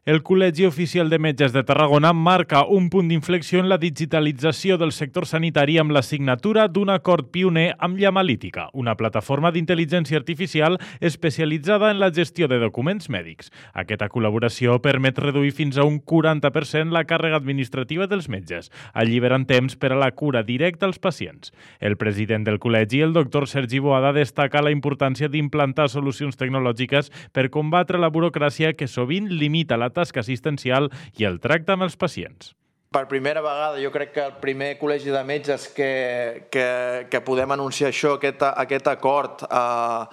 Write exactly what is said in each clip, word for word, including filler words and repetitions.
El Col·legi Oficial de Metges de Tarragona marca un punt d'inflexió en la digitalització del sector sanitari amb la signatura d'un acord pioner amb Llamalítica, una plataforma d'intel·ligència artificial especialitzada en la gestió de documents mèdics. Aquesta col·laboració permet reduir fins a un quaranta per cent la càrrega administrativa dels metges, alliberant temps per a la cura directa als pacients. El president del col·legi, el doctor Sergi Boada, destaca la importància d'implantar solucions tecnològiques per combatre la burocràcia que sovint limita la tasca assistencial i el tracte amb els pacients. Per primera vegada, jo crec que el primer col·legi de metges que, que, que podem anunciar això, aquest, aquest acord eh,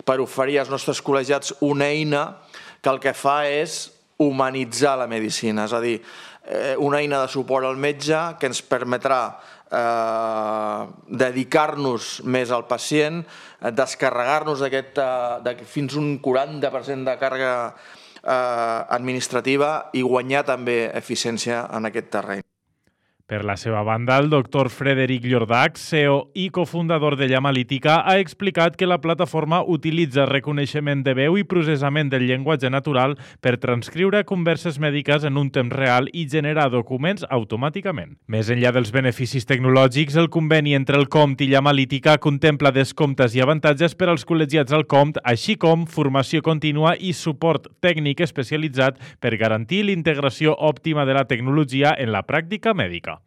per oferir als nostres col·legiats una eina que el que fa és humanitzar la medicina, és a dir, eh, una eina de suport al metge que ens permetrà eh, dedicar-nos més al pacient, descarregar-nos d'aquest de, fins un quaranta per cent de càrrega administrativa i guanyar també eficiència en aquest terreny. Per la seva banda, el doctor Frederic Llordac, C E O i cofundador de Llamalítica, ha explicat que la plataforma utilitza reconeixement de veu i processament del llenguatge natural per transcriure converses mèdiques en un temps real i generar documents automàticament. Més enllà dels beneficis tecnològics, el conveni entre el C O M T i Llamalítica contempla descomptes i avantatges per als col·legiats al C O M T, així com formació contínua i suport tècnic especialitzat per garantir l'integració òptima de la tecnologia en la pràctica mèdica.